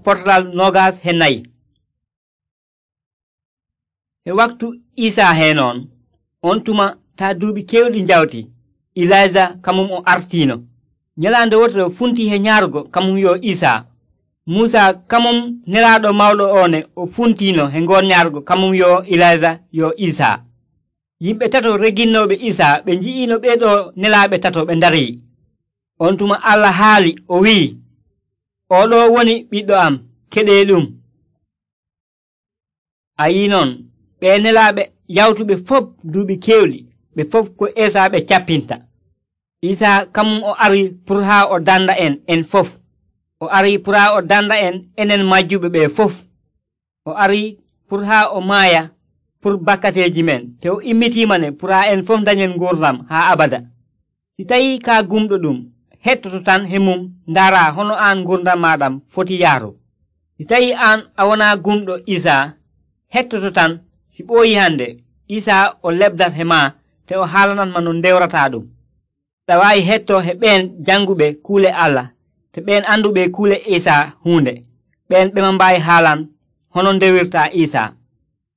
portal 24. e waktu Isa he noon on tuma taa duuɓi kewɗi njawti Ilayja kamum o artiino. nyalaande wotere funti he nyaarugo kamum yo Isa. Muusa kamum nelaaɗo mawɗo one o funtiino he ngoon nyaarugo kamum yo Ilayja yo Isa. yimɓe tato reginnooɓe Isa ɓe nji'iino ɓeeɗo nelaaɓe tato ɓe ndarii. on tuma Allah haali o wi'i, oɗo woni ɓiɗɗo am keɗeeɗum. a yi noon ɓe nelaaɓe yawtuɓe fof duuɓi kewɗi ɓe fof ko Isa ɓe cappinta. Isa kamum o ari pour haa o danda en fof. o ari pour haa o danda enen majjuɓe ɓe fof. o ari pour haa o maaya pour bakkateeji men te o immitimane pour haa en fof dañen ngurdam haa abada. si tawi ka gumɗo ɗum hettoto tan he mum ndaara hono aan ngurdam maɗam foti yaaru. si tawi aan a wona gumɗo Isa hettoto tan si ɓooyi hande Isa o lebdat he ma te o haalanatma no ndewrata ɗum. ɗa waawi hetto he ɓeen janguɓe kuule Allah te ɓeen anduɓe kuule Isa huunde ɓeen ɓe mbaawi haalan hono ndewirta Isa.